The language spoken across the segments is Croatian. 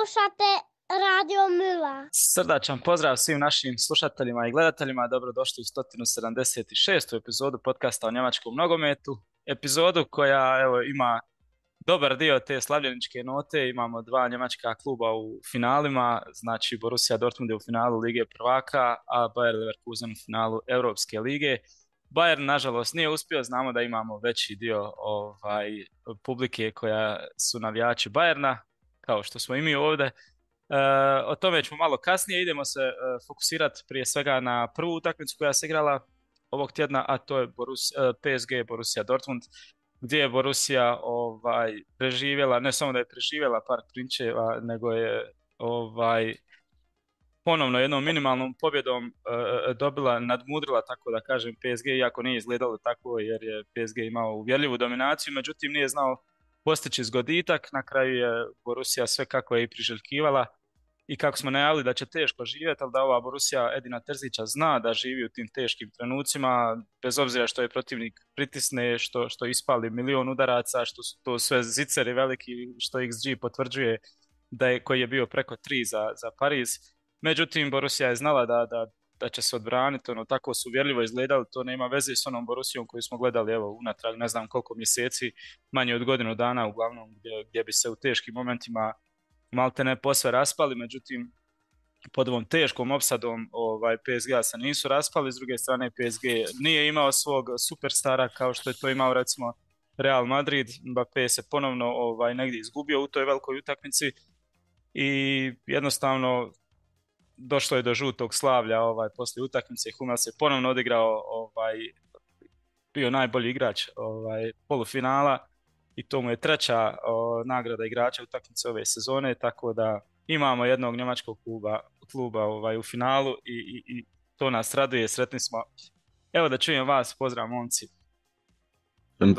Slušate Radio Mila. Srdačan pozdrav svim našim slušateljima i gledateljima. Dobrodošli u 176. epizodu podcasta o njemačkom nogometu. Epizodu koja ima dobar dio te slavljeničke note. Imamo dva njemačka kluba u finalima, znači Borussia Dortmund je u finalu Lige prvaka, a Bayer Leverkusen u finalu Europske lige. Bayern nažalost nije uspio, znamo da imamo veći dio publike koja su navijači Bayerna, kao što smo i mi ovdje. O tome ćemo malo kasnije, idemo se fokusirati prije svega na prvu utakmicu koja se igrala ovog tjedna, a to je PSG Borussia Dortmund, gdje je Borussia preživjela, ne samo da je preživjela par prinčeva, nego je ponovno jednom minimalnom pobjedom nadmudrila, tako da kažem, PSG, iako nije izgledalo tako jer je PSG imao uvjerljivu dominaciju, međutim nije znao postići zgoditak. Na kraju je Borussia sve kako je i priželjkivala i kako smo najavili da će teško živjeti, ali da ova Borussia Edina Terzića zna da živi u tim teškim trenucima, bez obzira što je protivnik pritisne, što ispali milion udaraca, što su to sve ziceri veliki, što XG potvrđuje koji je bio preko 3 za Pariz. Međutim, Borussia je znala da će se odbraniti, tako su uvjerljivo izgledali, to nema veze s onom Borussijom koju smo gledali unatrag ne znam koliko mjeseci, manje od godinu dana uglavnom, gdje bi se u teškim momentima malte ne posve raspali. Međutim, pod ovom teškom opsadom PSG-a se nisu raspali. S druge strane, PSG nije imao svog superstara kao što je to imao recimo Real Madrid. Mbappé se ponovno negdje izgubio u toj velikoj utakmici i jednostavno došlo je do žutog slavlja poslije utakmice. Hummels je ponovno odigrao, bio najbolji igrač polufinala i to mu je treća nagrada igrača utakmice ove sezone, tako da imamo jednog njemačkog kluba u finalu i to nas raduje, sretni smo. Evo da čujem vas, pozdrav momci.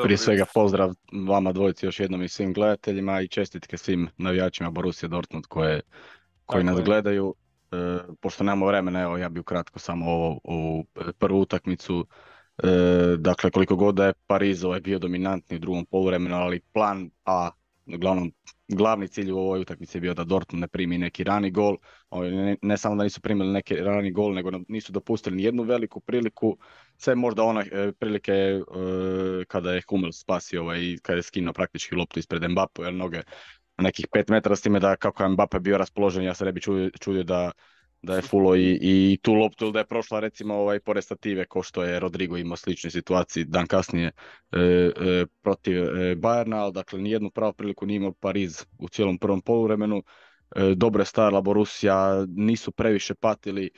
Prije svega pozdrav vama dvojici još jednom i svim gledateljima i čestitke svim navijačima Borussia Dortmund koji nas gledaju. Pošto nemamo vremena, evo ja bih ukratko samo ovu prvu utakmicu. Dakle, koliko god da je Pariz bio dominantni u drugom poluvremenu, ali plan A, glavni cilj u ovoj utakmici je bio da Dortmund ne primi neki rani gol. Ne samo da nisu primili neki rani gol, nego nisu dopustili ni jednu veliku priliku. Sve možda one prilike kada je Hummels spasio i kada je skinuo praktički loptu ispred Mbappé, jer noge na nekih 5 metara, s time da kako je Mbappé bio raspoložen, ja se ne bi čudio da je fulo i tu loptu, ili da je prošla recimo pored stative, ko što je Rodrigo imao sličnoj situaciji dan kasnije protiv Bayerna, ali dakle nijednu pravu priliku nije imao Pariz u cijelom prvom poluvremenu. Dobro je stajala Borussia, nisu previše patili,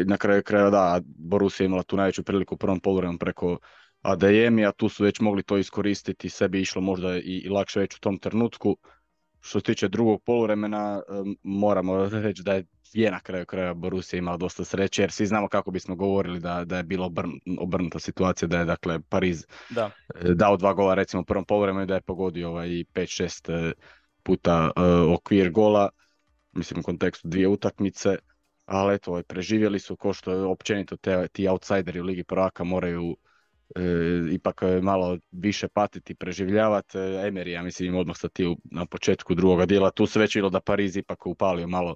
na kraju krajeva da, Borussia imala tu najveću priliku u prvom poluvremenu preko Adeyemi, tu su već mogli to iskoristiti, sebi išlo možda i lakše već u tom trenutku. Što se tiče drugog poluvremena, moramo reći da je na kraju krajeva Borussia imala dosta sreće, jer svi znamo kako bismo govorili da je bilo obrnuta situacija, da je dakle Pariz dao 2 gola recimo u prvom poluvremenu i da je pogodio i 5-6 puta okvir gola, mislim u kontekstu 2 utakmice, ali eto, preživjeli su, ko što je općenito ti outsideri u Ligi prvaka moraju ipak malo više patiti, preživljavati. Emery, ja mislim, odmah stati na početku drugoga dijela. Tu se već bilo da Pariz ipak upalio malo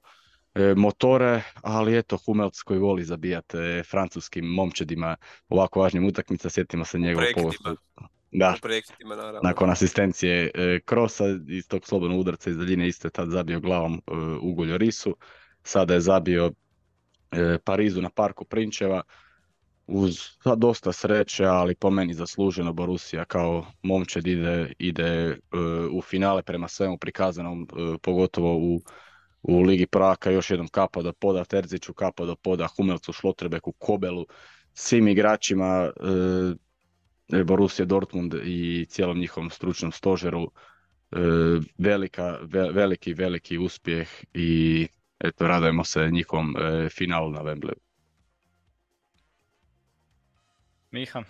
motore, ali eto, Hummels koji voli zabijati francuskim momčadima ovako važnim utakmica, sjetimo se njegovog pogosta. Da, nakon asistencije Krosa iz tog slobodnog udarca iz daljine isto je tad zabio glavom u Llorisu. Sada je zabio Parizu na Parku prinčeva. Uz dosta sreće, ali po meni zasluženo, Borussia kao momčad ide u finale prema svemu prikazanom, pogotovo u Ligi prvaka. Još jednom kapa do poda Terziću, kapa do poda Hummelsu, Schlotterbeku, Kobelu, svim igračima Borussia Dortmund i cijelom njihovom stručnom stožeru. Veliki uspjeh i eto, radujemo se njihovom finalu na Wembleyu. Miha.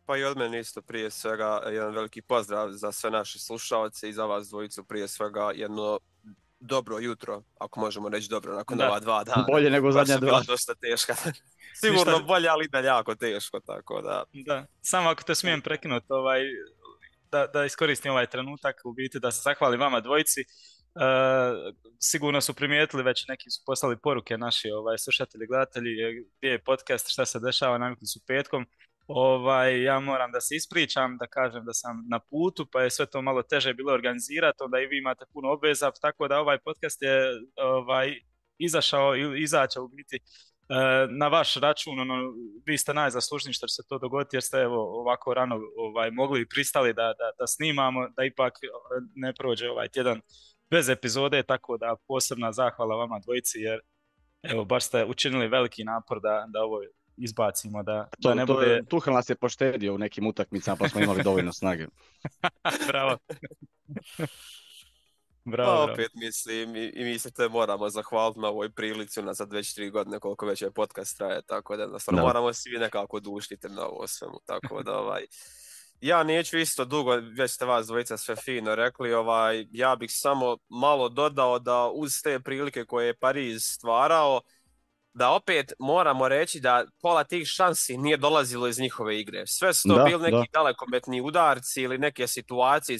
Pa i od mene isto prije svega jedan veliki pozdrav za sve naše slušalce i za vas dvojicu prije svega jedno dobro jutro, ako možemo reći dobro, nakon ova 2 dana. Bolje nego zadnja 2. Bila dosta teška. Sigurno bolje, ali da jako teško, tako da. Da, samo ako te smijem prekinuti, da iskoristim ovaj trenutak, u biti da se zahvalim vama dvojici. sigurno su primijetili, već neki su poslali poruke naši slušatelji, gledatelji, gdje je podcast, šta se dešava, navikli su petkom. Ja moram da se ispričam, da kažem da sam na putu, pa je sve to malo teže bilo organizirati, onda i vi imate puno obveza, tako da ovaj podcast je izašao ili izaća u biti na vaš račun. Vi ste najzaslužniji što će se to dogoditi, jer ste evo ovako rano mogli i pristali da snimamo, da ipak ne prođe ovaj tjedan bez epizode, tako da posebna zahvala vama dvojici, jer evo baš ste učinili veliki napor da ovo izbacimo, da ne bude... Tuchel nas je poštedio u nekim utakmicama, pa smo imali dovoljno snage. Bravo. Pa opet mislim, i mi se te moramo zahvaliti na ovoj prilici, unazad već 3 godine koliko već je podcast traje, tako da jednostavno moramo svi nekako duštiti na ovo svemu, tako da ja neću isto dugo, već ste vas dvojica sve fino rekli, ja bih samo malo dodao da uz te prilike koje je Pariz stvarao, da opet moramo reći da pola tih šansi nije dolazilo iz njihove igre. Sve su to bili neki dalekometni udarci ili neke situacije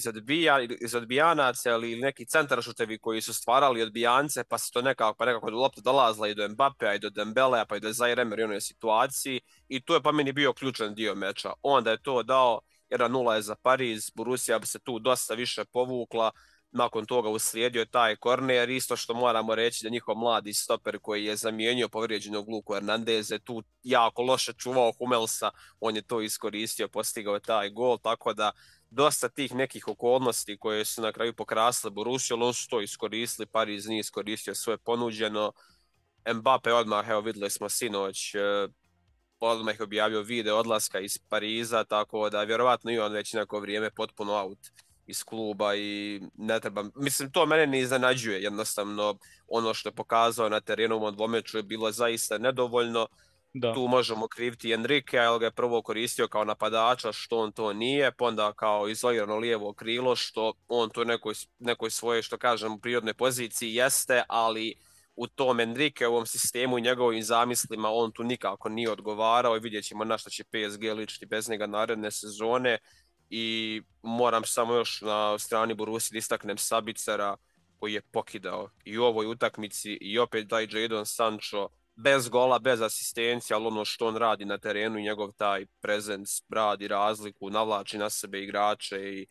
iz odbijanaca ili neki centaršutevi koji su stvarali odbijance, pa se to nekako lopta dolazila i do Mbappea i do Dembelea pa i do Zaire Emery u onoj situaciji i to je pa meni bio ključan dio meča. Onda je to dao 1-0 je za Pariz, Borussia bi se tu dosta više povukla. Nakon toga uslijedio taj korner, isto što moramo reći da njihov mladi stoper koji je zamijenio povrijeđenog Luku Hernandeze tu jako loše čuvao Hummelsa, on je to iskoristio, postigao taj gol, tako da dosta tih nekih okolnosti koje su na kraju pokrasile Borussiju, ali on su to iskoristili, Pariz nije iskoristio svoje ponuđeno. Mbappe odmah, evo vidjeli smo sinoć, odmah je objavio video odlaska iz Pariza, tako da vjerovatno i on već neko vrijeme potpuno out iz kluba i ne treba, mislim to mene ne iznenađuje, jednostavno ono što je pokazao na terenu u ovom dvomeču je bilo zaista nedovoljno. Tu možemo kriviti Enrique, ali ga je prvo koristio kao napadača što on to nije, pa onda kao izolirano lijevo krilo što on to nekoj svoje, što kažem, prirodnoj poziciji jeste, ali u tom Enrique, u ovom sistemu i njegovim zamislima on tu nikako nije odgovarao i vidjet ćemo na što će PSG ličiti bez njega naredne sezone. I moram samo još na strani Borussije da istaknem Sabicera koji je pokidao i u ovoj utakmici i opet taj Jadon Sancho bez gola, bez asistencije, ali ono što on radi na terenu i njegov taj prezens radi razliku, navlači na sebe igrače i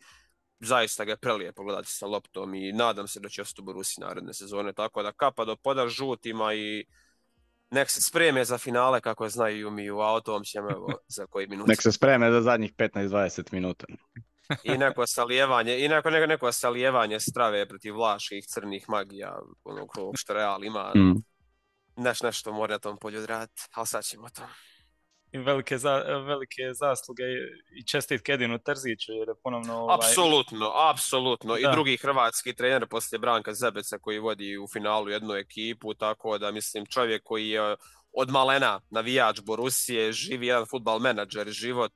zaista ga je prelijepo gledati sa loptom i nadam se da će ostati u Borussiji naredne sezone, tako da kapa do poda žutima i nek se spreme za finale kako znaju i umiju, a o tom ćemo evo za koji minut. Nek se spreme za zadnjih 15-20 minuta. I neko salijevanje strave protiv vlaških crnih magija, onog što Real ima. Nešto mora na tom polju odraditi, ali sad ćemo to. I velike zasluge i čestitke Edinu Terziću jer je ponovno... Apsolutno. I drugi hrvatski trener poslije Branka Zebeca koji vodi u finalu jednu ekipu, tako da mislim čovjek koji je od malena navijač Borussije, živi jedan fudbal menadžer, život,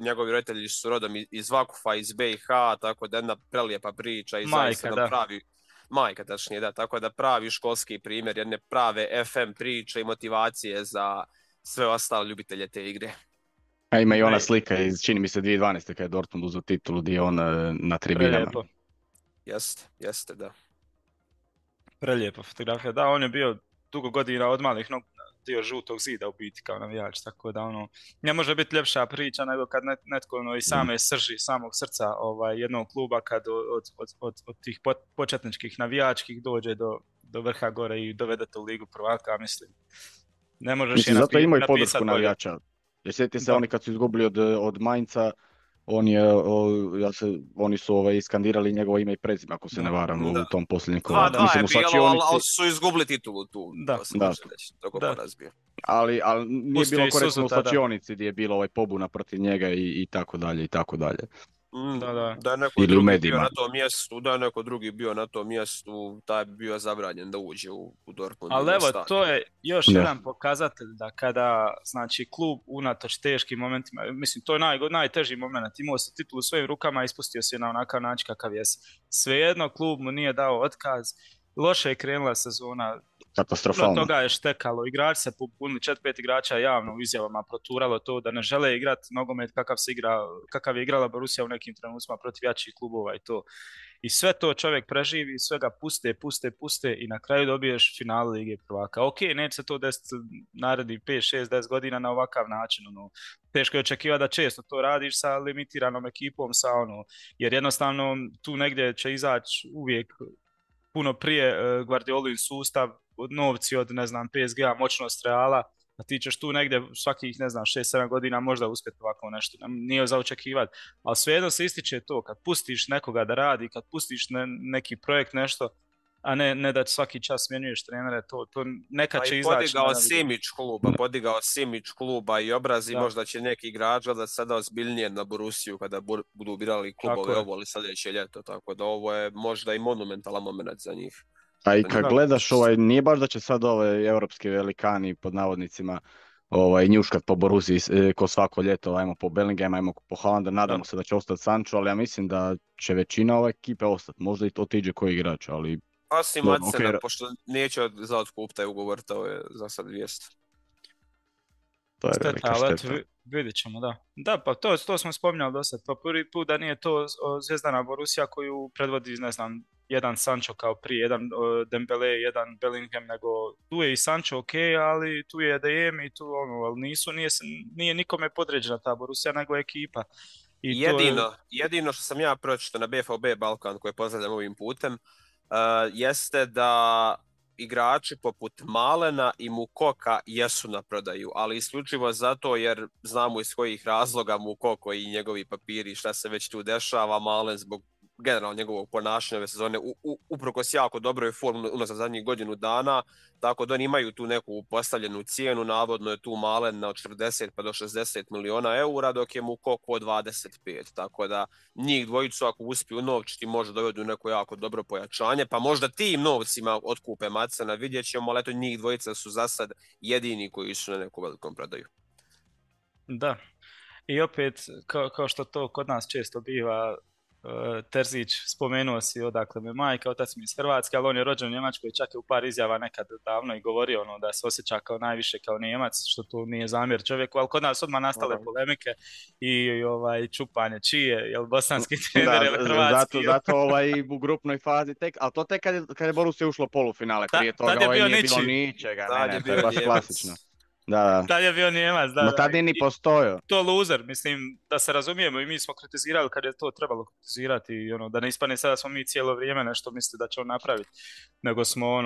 njegovi roditelji su rodom iz Vakufa, iz BiH, tako da jedna prelijepa priča i zaista nam pravi... Majka, tačnije, da, tako da pravi školski primjer jedne prave FM priče i motivacije za sve ostale ljubitelje te igre. A ima i ona slika iz, čini mi se, 2012. kada je Dortmund uzeo titulu gdje je on na tribinama. Prelijepo. Jeste, da. Prelijepa fotografija. Da, on je bio dugo godina od malih nogu dio žutog zida u biti kao navijač, tako da ne može biti ljepša priča nego kad netko iz same srži, samog srca jednog kluba kad od tih početničkih navijačkih dođe do vrha gore i dovedete u ligu prvaka, mislim. Ne možeš je zato imaju podršku navijača. Jer sjetite se oni kad su izgubili od Mainca, oni su skandirali njegovo ime i prezime, ako se ne varam, u tom posljednjem koraku. Ali su izgubili titulu tu. Ali nije bilo korektno u slačionici gdje je bilo pobuna protiv njega i tako dalje i tako dalje. Da je neko drugi bio na tom mjestu, taj bi bio zabranjen da uđe u Dortmund. Ali evo, to je još jedan pokazatelj da kada, znači, klub unatoč teškim momentima, mislim, to je najteži moment, imao se titulu u svojim rukama, ispustio se na onakav način kakav je. Svejedno, klub mu nije dao otkaz loše je krenula sezona. Puno Katastrofalno. toga je štekalo, igrači se pobunili, 4-5 igrača javno u izjavama proturalo to da ne žele igrati nogomet kakav je igrala Borussia u nekim trenucima protiv jačih klubova i to. I sve to čovjek preživi, sve ga puste i na kraju dobiješ finale Lige prvaka. Ok, neće se to desiti narednih 5, 6, 10 godina na ovakav način. Teško je očekivati da često to radiš sa limitiranom ekipom, jer jednostavno tu negdje će izaći uvijek puno prije Guardiolin sustav, novci od, ne znam, PSG-a, moćnost Reala, a ti ćeš tu negdje svakih, ne znam, 6-7 godina možda uspjeti ovako nešto. Nije za očekivati. Ali svejedno se ističe to, kad pustiš nekoga da radi, kad pustiš neki projekt, nešto, a ne da svaki čas smjenjuješ trenere, to nekad će izaći. Podigao Simić kluba i obraz i možda će neki igrač da sada ozbiljnije na Borussiju kada budu birali klubove ovo ili sljedeće ljeto, tako da ovo je možda i monumentalan moment za njih. A i kad gledaš, nije baš da će sad ove europski velikani pod navodnicima njuškat po Borussiji ko svako ljeto, ajmo po Bellingham, ajmo po Haalanda, nadamo se da će ostati Sancho, ali ja mislim da će većina ove ekipe ostati, možda i to otiđe koji igrač, ali... Osim Madsena, pošto neće za otkup taj ugovor, to je za sad vijest. To je velika šteta. Vidjet ćemo, da. Da, pa to smo spominjali do sad. Pa prvi put da nije to zvezdana Borussia koju predvodi, ne znam, jedan Sancho kao prije, jedan Dembele, jedan Bellingham, nego tu je i Sancho ok, ali tu je DM i tu ali nije nikome podređena ta Borussia, nego ekipa. I jedino što sam ja pročitao na BFB Balkan, koje pozdravljam ovim putem, jeste da igrači poput Malena i Mukoka jesu na prodaju, ali isključivo zato jer znamo iz kojih razloga Mukoko i njegovi papiri, šta se već tu dešava, Malen zbog generalno njegovog ponašanja ove sezone uprkos jako dobroj formi unazad zadnjih godinu dana, tako da oni imaju tu neku postavljenu cijenu, navodno je tu Malen od 40 pa do 60 miliona eura, dok je Mukoko od 25, tako da njih dvojicu ako uspiju unovčiti možda dovedu neko jako dobro pojačanje, pa možda tim novcima otkupe Madsena, vidjet ćemo, ali eto njih dvojica su za sad jedini koji su na neku velikom prodaju. Da, i opet kao što to kod nas često biva, Terzić, spomenuo si odakle me majka, otac mi iz Hrvatske, ali on je rođen u Njemačkoj, čak je u par izjava nekad davno i govorio da se osjeća kao najviše kao Nijemac, što tu nije zamjer čovjeku, ali kod nas odmah nastale polemike i čupanje čije, jel bosanski trener ili hrvatski. Zato u grupnoj fazi ali to tek kad je Borussia ušlo poluffinale, prije toga nije bilo ničega, to je baš klasično. Da. Tad je bio Nijemac, da. No tad je ni postojao. To loser, mislim, da se razumijemo i mi smo kritizirali kad je to trebalo kritizirati i da ne ispane sada smo mi cijelo vrijeme nešto misli da će on napraviti, nego smo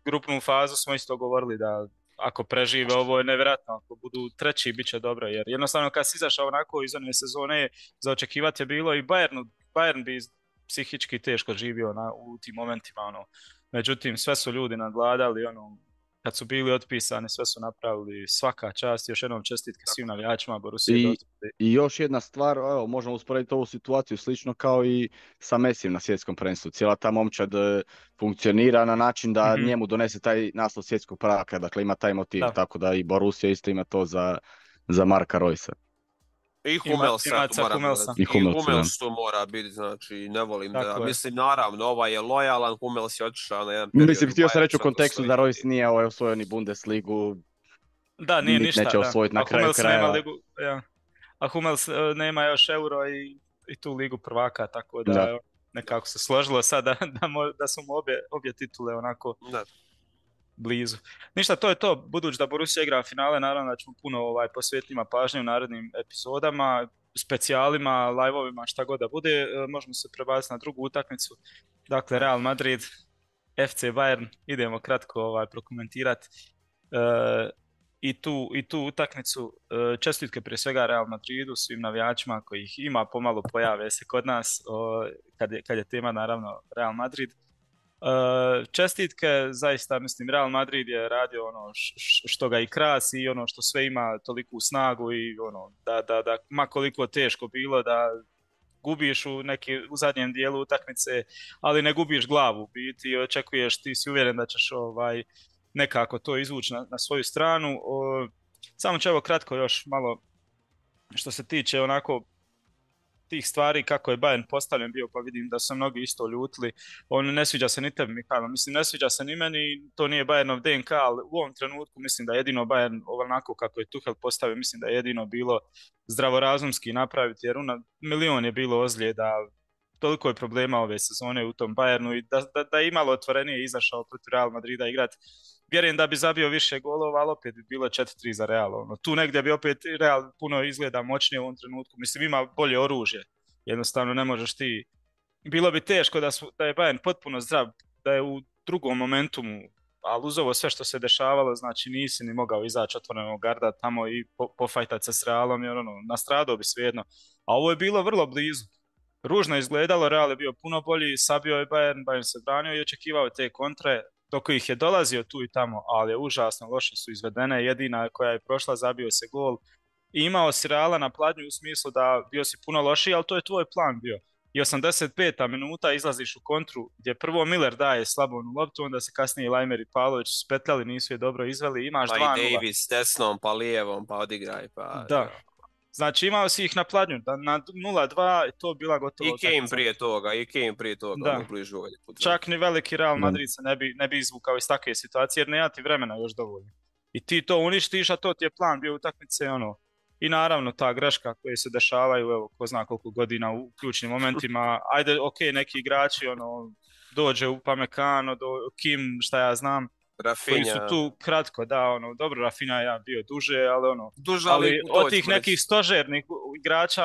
grupnu fazu smo isto govorili da ako prežive ovo je nevjerojatno, ako budu treći bit će dobro, jer jednostavno kad si izašao onako iz one sezone za očekivati je bilo i Bayern bi psihički teško živio u tim momentima, međutim sve su ljudi nadvladali, kad su bili otpisani, sve su napravili, svaka čast, još jednom čestitke svim navijačima Borussije. I još jedna stvar, možemo usporediti ovu situaciju slično kao i sa Messijem na svjetskom prvenstvu. Cijela ta momčad funkcionira na način da njemu donese taj naslov svjetskog prvaka, dakle ima taj motiv, tako da i Borussia isto ima to za Marka Roysa. I Hummels to mora biti, znači ne volim tako da, mislim naravno ovaj je lojalan, Hummels je otišao na jedan period. Mislim, htio sam reći u kontekstu da Royce nije osvojio ni Bundesligu, da, nije ništa, neće osvojiti na kraju kraja. A Hummels nema još Euro i tu ligu prvaka, tako da nekako se složilo sad da su mu obje titule onako blizu. Ništa, to je to. Budući da Borussia igra finale, naravno da ćemo puno posvetiti pažnje u narednim epizodama, specijalima, live-ovima, šta god da bude. Možemo se prebaciti na drugu utakmicu. Dakle, Real Madrid, FC Bayern. Idemo kratko prokomentirati i tu utakmicu. Čestitke prije svega Real Madridu, svim navijačima kojih ima, pomalo pojave se kod nas kad je tema naravno Real Madrid. Čestitke, zaista mislim Real Madrid je radio što ga i krasi i što sve ima toliku snagu i da ma koliko teško bilo da gubiš u zadnjem dijelu utakmice, ali ne gubiš glavu, biti i očekuješ, ti si uvjeren da ćeš nekako to izvući na svoju stranu. Samo ću evo kratko još malo što se tiče onako tih stvari kako je Bayern postavljen bio, pa vidim da su mnogi isto ljutili. On ne sviđa se ni tebi, Mihajlo. Mislim, ne sviđa se ni meni, to nije Bayernov DNK, ali u ovom trenutku mislim da jedino Bayern onako kako je Tuchel postavio, mislim da je jedino bilo zdravorazumski napraviti, jer milion je bilo ozljeda, toliko je problema ove sezone u tom Bayernu i da je imalo otvorenije izašao protiv Real Madrida igrati. Vjerujem da bi zabio više golova, ali opet bi bilo 4-3 za Real. Tu negdje bi opet Real puno izgleda moćnije u ovom trenutku. Mislim, ima bolje oružje. Jednostavno ne možeš ti... Bilo bi teško da je Bayern potpuno zdrav, da je u drugom momentumu, ali uz ovo sve što se dešavalo, znači nisi ni mogao izaći otvorenog garda tamo i pofajtati se s Realom, jer nastradao bi svejedno. A ovo je bilo vrlo blizu. Ružno izgledalo, Real je bio puno bolji, sabio je Bayern se branio i očekivao te kontre, dok ih je dolazio tu i tamo, ali je užasno loše su izvedene, jedina koja je prošla, zabio se gol i imao si Reala na pladnju u smislu da bio si puno lošiji, ali to je tvoj plan bio. I 85. minuta izlaziš u kontru gdje prvo Miller daje slabonu loptu, onda se kasnije Lajmer i Pavlović spetljali, nisu je dobro izveli, imaš 2-0. Pa i Davis desnom, pa lijevom, pa odigraj, pa... Da. Znači imao si ih na pladnju, na 0-2 to bila gotovo... I Kane prije toga, da. Čak ni veliki Real Madrid se ne bi izvukao iz takve situacije, jer nema ti vremena još dovoljno. I ti to uništiš, a to ti je plan bio utakmice, I naravno ta greška koje se dešavaju, evo, ko zna koliko godina u ključnim momentima, ajde, neki igrači, dođe u Pamecano, Kim, šta ja znam, Rafinha. Koji su tu kratko, da, dobro, Rafinha je bio duže, ali duže, ali od tih nekih stožernih igrača,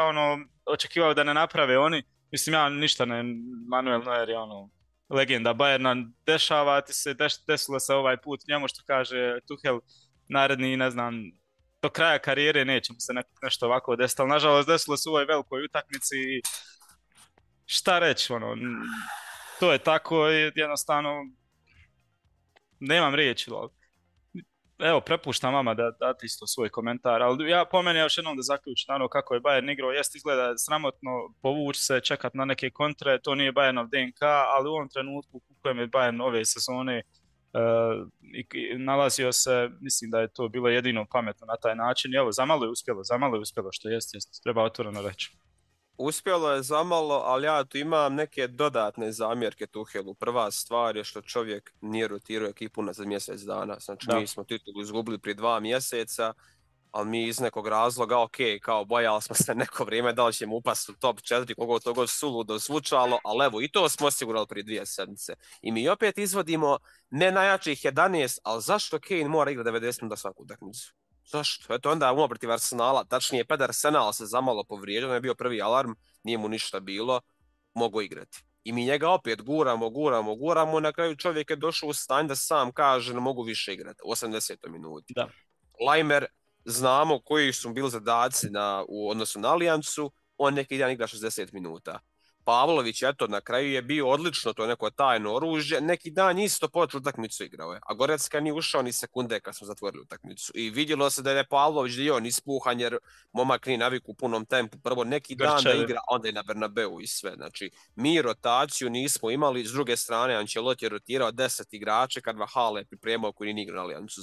očekivao da ne naprave oni, mislim, ja ništa ne, Manuel Neuer je legenda Bayerna, dešava ti se, desilo se ovaj put njemu što kaže Tuchel, naredni, ne znam, do kraja karijere neće mu se nešto ovako desiti, ali nažalost desilo se u ovoj velikoj utakmici i šta reći, to je tako, jednostavno nemam riječi, evo, prepuštam vama da date isto svoj komentar, ali ja po meni još jednom da zaključim kako je Bayern igrao, jest izgleda sramotno povući se, čekat na neke kontre, to nije Bayernov DNK, ali u ovom trenutku u kojem je Bayern ove sezone nalazio se, mislim da je to bilo jedino pametno na taj način i evo, zamalo je uspjelo, što jest, treba otvoreno reći. Uspjelo je zamalo, ali ja tu imam neke dodatne zamjerke Tuchelu. Prva stvar je što čovjek nije rotirao ekipu za mjesec dana. Znači, mi smo titulu izgubili prije 2 mjeseca, ali mi iz nekog razloga, kao bojali smo se neko vrijeme da li ćemo upasti u top 4, kogo to god suludo zvučalo, ali evo, i to smo osigurali prije 2 sedmice. I mi opet izvodimo ne najjačih 11, ali zašto Kane mora igrati 90 minuta svaku utakmicu? Zašto? Eto onda umro protiv Arsenala, tačnije pred Arsenal se zamalo povrijedio, je bio prvi alarm, nije mu ništa bilo, mogu igrati. I mi njega opet guramo, na kraju čovjek je došao u stanje da sam kaže ne mogu više igrati, u 80. minuti. Da. Lajmer, znamo koji su bili zadaci u odnosu na Alijancu, on neki dan igra 60 minuta. Pavlović, eto, na kraju je bio odlično, to je neko tajno oružje, neki dan isto počeo utakmicu igrao je, a Gorecka nije ušao ni sekunde kad smo zatvorili utakmicu. I vidjelo se da je Pavlović dio ispuhan jer momak nije naviku u punom tempu, prvo neki dan da igra, onda je na Bernabeu i sve. Znači, mi rotaciju nismo imali, s druge strane Ancelotti je rotirao 10 igrača kad Vahale je pripremao koji nije igrao na Alijancu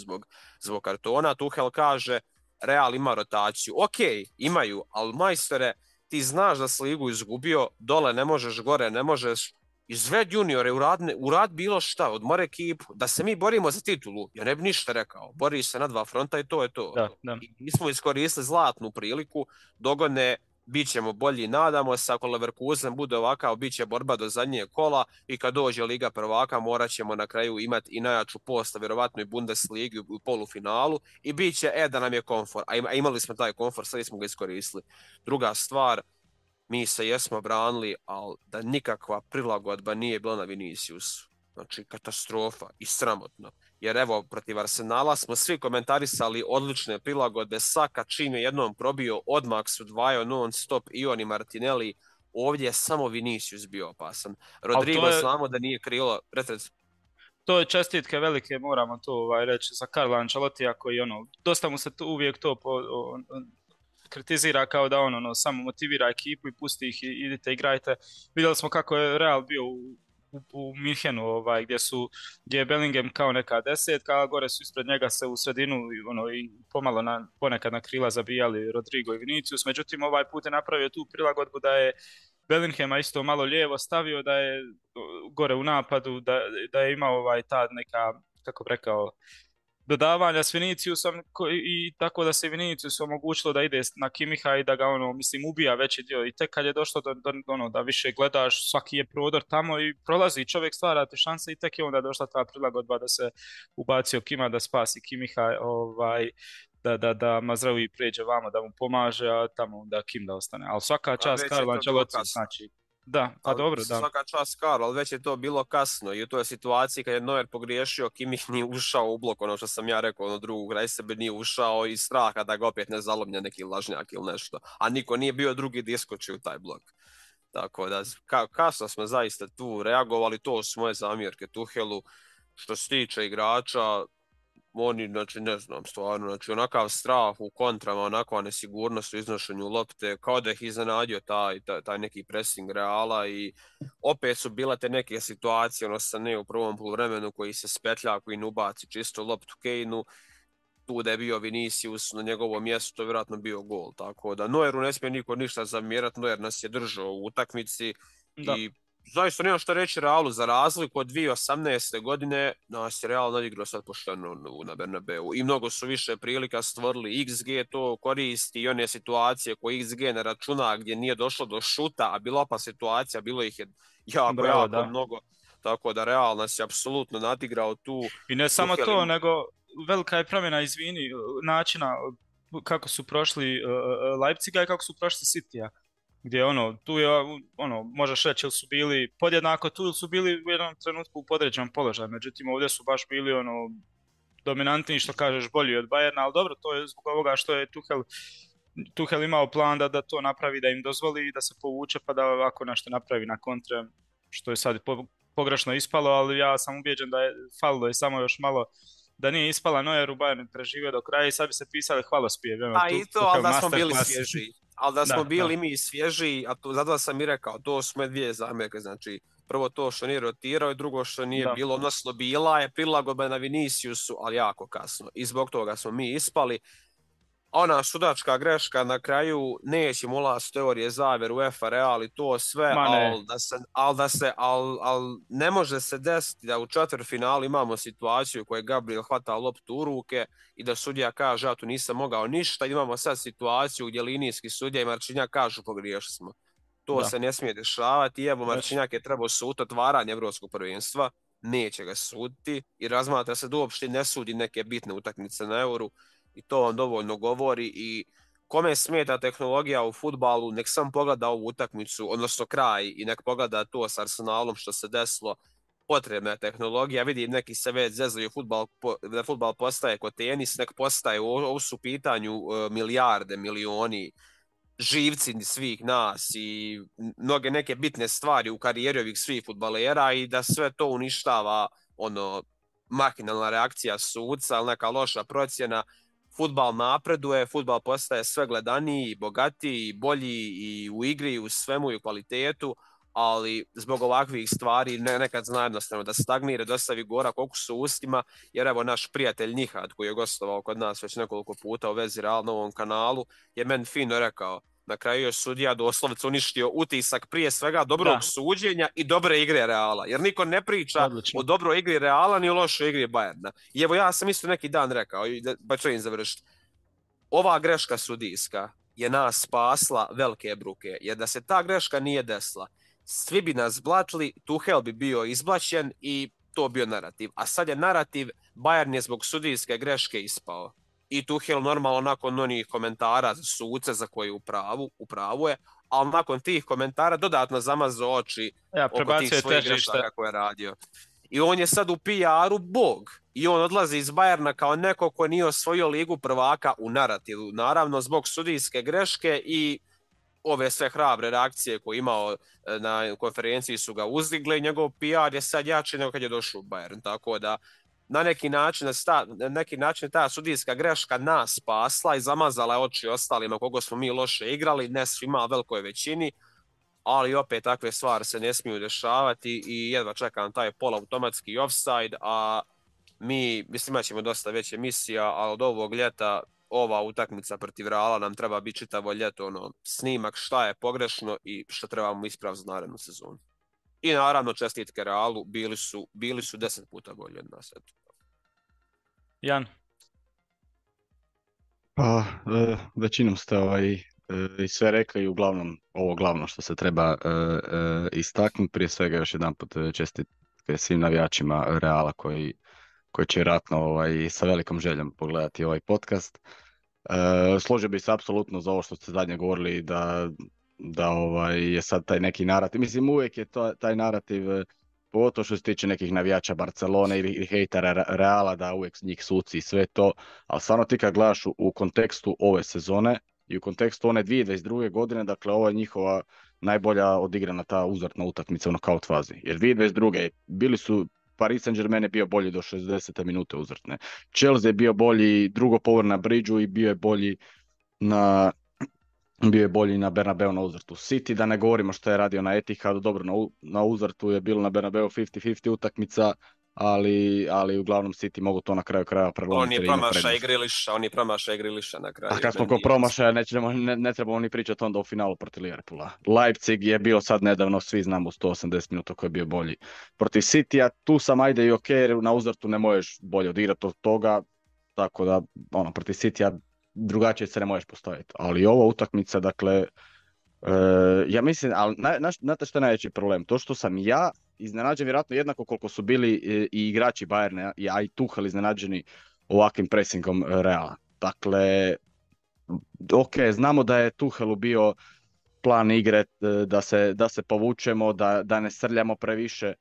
zbog kartona. Tuchel kaže, Real ima rotaciju. Ok, imaju, ali majstore, ti znaš da si ligu izgubio, dole ne možeš, gore ne možeš, izved juniore, urad bilo šta, odmor ekipu, da se mi borimo za titulu, ja ne bi ništa rekao, bori se na 2 fronta i to je to. Da. I mi smo iskoristili zlatnu priliku, dogodne, bit ćemo bolji, nadamo se, ako Leverkusen bude ovakav, bit će borba do zadnjeg kola i kad dođe Liga prvaka morat ćemo na kraju imati i najjaču postav, vjerovatno i Bundesligi u polufinalu i bit će, da nam je komfor, a imali smo taj komfor, sad smo ga iskoristili. Druga stvar, mi se jesmo branili, ali da nikakva prilagodba nije bila na Viniciusu. Znači, katastrofa i sramotno. Jer evo, protiv Arsenala smo svi komentarisali odlične prilagodbe. Saka čim je jednom probio, odmah su dvajao non stop i on i Martinelli. Ovdje je samo Vinicius bio opasan. Rodrigo znamo da nije krilo. To je čestitke velike, moramo to reći, za Carlo Ancelotija koji dosta mu se uvijek to kritizira kao da samo motivira ekipu i pusti ih i idite igrajte. Vidjeli smo kako je Real bio u u Minhenu, gdje je Bellingham kao neka desetka, a gore su ispred njega se u sredinu i pomalo ponekad na krila zabijali Rodrigo i Vinicius, međutim ovaj put je napravio tu prilagodbu da je Bellinghama isto malo lijevo stavio, da je gore u napadu, da je imao ta neka, kako bi rekao, dodavanja s Viniciusom i tako da se Vinicius omogućilo da ide na Kimiha i da ga ubija veći dio, i tek kad je došlo da više gledaš, svaki je prodor tamo i prolazi, čovjek stvara te šanse i tek je onda došla ta prilagodba da se ubacio Kima da spasi Kimiha, da Mazraoui pređe vamo da mu pomaže, a tamo da Kim da ostane. Ali svaka čast Carlo Ancelotti, znači. Da, pa dobro, da. Svaka čast Carlo, ali već je to bilo kasno i u toj situaciji kad je Neuer pogriješio, Kimmich nije ušao u blok, ono što sam ja rekao, drugog kraj sebe nije ušao iz straha da ga opet ne zalomlja neki lažnjak ili nešto, a niko nije bio drugi da iskoči u taj blok. Tako da, kasno smo zaista tu reagovali, to su moje zamjerke Tuchelu. Što se tiče igrača, oni, znači, ne znam, stvarno, znači, onakav strah u kontrama, onakva nesigurnost u iznošenju lopte, kao da ih iznenadio taj neki pressing Reala i opet su bile te neke situacije, Sané u prvom poluvremenu koji se spetlja, koji ne ubaci čisto loptu Kane-u, tu da je bio Vinicius na njegovom mjestu, to je vjerojatno bio gol, tako da Neueru ne smije niko ništa zamjerati, Neuer nas je držao u utakmici i zaista nema što reći Realu, za razliku od 2018. godine nas je Real nadigrao sad pošteno na Bernabeu i mnogo su više prilika stvorili, XG to koristi i one situacije koje XG ne računa gdje nije došlo do šuta, a bila pa situacija, bilo ih je jako mnogo, tako da Real nas je apsolutno nadigrao tu. I ne samo to, nego velika je promjena, načina kako su prošli Leipziga i kako su prošli Citya. Gdje tu je, možeš reći ili su bili podjednako tu ili su bili u jednom trenutku u podređenom položaju, međutim ovdje su baš bili dominantni, što kažeš, bolji od Bayerna, ali dobro, to je zbog ovoga što je Tuchel imao plan da to napravi, da im dozvoli da se povuče pa da ovako nešto napravi na kontre, što je sad pogrešno ispalo, ali ja sam ubijeđen da je falilo i samo još malo da nije ispala Neueru, Bayern preživio do kraja i sad bi se pisali hvalospjev. I to, ali da smo bili svježi. Ali da smo bili mi svježi, a zato sam i rekao, to su me dvije zamjerke, znači prvo to što nije rotirao i drugo što nije bilo, odnosno bila je prilagodba na Viniciusu, ali jako kasno i zbog toga smo mi ispali. Ona sudačka greška na kraju, nećemo ulaziti u teorije zavjeru UEFA Real i to sve, ali ne može se desiti da u četvrtfinalu imamo situaciju u kojoj Gabriel hvata loptu u ruke i da sudija kaže ja tu nisam mogao ništa, imamo sad situaciju gdje linijski sudija i Marčinjak kažu pogriješili smo. To se ne smije dešavati i evo Marčinjak je trebao suditi otvaranje Evropskog prvenstva, neće ga suditi i razmatra se da uopšte ne sudi neke bitne utakmice na Euru. I to vam dovoljno govori i kome smeta tehnologija u fudbalu, nek sam pogleda ovu utakmicu, odnosno kraj i nek pogleda to s Arsenalom što se desilo, potrebna je tehnologija, vidim neki se već zezaju da fudbal postaje ko tenis, nek postaje, ovo su pitanju milijarde, milioni, živci svih nas i mnoge neke bitne stvari u karijeri ovih svih fudbalera i da sve to uništava makinalna reakcija sudca, ali neka loša procjena. Fudbal napreduje, fudbal postaje sve gledaniji, bogatiji, bolji i u igri, i u svemu i u kvalitetu, ali zbog ovakvih stvari nekad zna jednostavno da stagnira, da ostavi gorak okus u ustima, jer evo naš prijatelj Nihad koji je gostovao kod nas već nekoliko puta u vezi Real na ovom kanalu je meni fino rekao, na kraju je sudija doslovce uništio utisak prije svega dobrog suđenja i dobre igre Reala, jer niko ne priča o dobroj igri Reala ni o lošoj igri Bayerna. I evo ja sam isto neki dan rekao, pa ću im završiti, ova greška sudijska je nas spasla velike bruke, jer da se ta greška nije desila, svi bi nas blatili, Tuchel bi bio izblaćen i to bio narativ. A sad je narativ, Bayern je zbog sudijske greške ispao. I Tuchel normalno nakon onih komentara za suce za koje u pravu je, ali nakon tih komentara dodatno zamazao oči oko tih svojih grešaka koje je radio. I on je sad u PR-u bog. I on odlazi iz Bayerna kao neko ko nije osvojio ligu prvaka u narativu. Naravno zbog sudijske greške i ove sve hrabre reakcije koje je imao na konferenciji su ga uzdigle. Njegov PR je sad jači nego kad je došao u Bayern. Tako da na neki način ta sudijska greška nas spasla i zamazala oči ostalima koga smo mi loše igrali, ne svima, velikoj većini. ali opet takve stvari se ne smiju dešavati i jedva čekam taj polautomatski offside, a mislim, imat ćemo dosta već emisija, ali od ovog ljeta ova utakmica protiv Reala nam treba biti čitavo ljeto snimak šta je pogrešno i što trebamo ispraviti za narednu sezonu. I naravno čestitke Realu, bili su 10 puta bolji od nas. Jan? Pa, većinom ste i sve rekli i uglavnom ovo glavno što se treba istaknuti. Prije svega još jedanput čestitke svim navijačima Reala koji će vjerojatno sa velikom željom pogledati ovaj podcast. Složio bih se apsolutno za ovo što ste zadnje govorili da je sad taj neki narativ. Mislim, uvijek je taj narativ, pogotovo što se tiče nekih navijača Barcelone ili hejtera Reala, da uvijek njih suci i sve to, ali stvarno ti kad gledaš u kontekstu ove sezone i u kontekstu one 2022. godine, dakle ovo je njihova najbolja odigrana ta uzortna utakmica u nokaut fazi. Jer 2022. bili su Paris Saint-Germain je bio bolji do 60. minute uzortne. Chelsea je bio bolji drugo povrh na Bridgeu i bio je bolji na Bernabeu na uzortu. City, da ne govorimo što je radio na Etihadu, dobro, na uzortu je bilo na Bernabeu 50-50 utakmica, ali uglavnom City mogu to na kraju krajeva prelomiti. On je promašaj Grealisha na kraju. A kad smo kod promašaja, ne trebamo ni pričati onda o finalu protiv Liverpoola. Leipzig je bio sad nedavno, svi znamo, 180 minuta koji je bio bolji. Protiv Citya, tu sam ajde i ok, na uzortu ne možeš bolje odigrati od toga, tako da protiv Citya drugačije se ne možeš postaviti. Ali ova utakmica, dakle, ja mislim, ali znate što je najveći problem? To što sam ja iznenađen vjerojatno jednako koliko su bili i igrači Bayerna, a i Tuchel iznenađeni ovakvim presingom Reala. Dakle, ok, znamo da je Tuchelu bio plan igre da se povučemo, da ne srljamo previše,